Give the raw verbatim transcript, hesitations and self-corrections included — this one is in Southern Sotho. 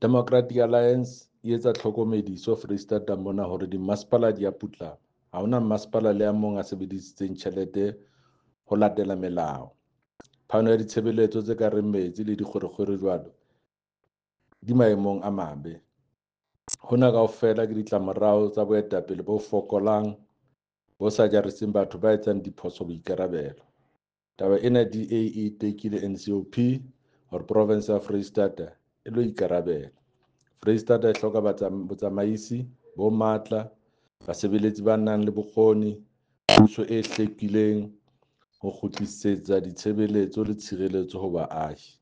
Democratic Alliance e etsa tlhokomediso Foreisetata mona hore dimmasepala di a putlama. Ha hona mmasepala le a mong a sebedisitseng tjhelete ho latela melao. Phano ya ditshebeletso tse ka reng metsi le dikgwerekgwere jwalo di maemong a mabe. Hona kaofela ke ditlamorao tsa boetapele bo fokolang bo sa jariseng batho ba etsang diphoso boikarabelo. Taba ena D A e tekile N C O P hore province ya Foreisetata e lo ikarabela. Foreisetata e hloka botsamaisi bo matla, basebeletsi ba nang le bokgoni, puso e hlwekileng ho kgutlisetsa ditshebeletso le tshireletso ho baahi.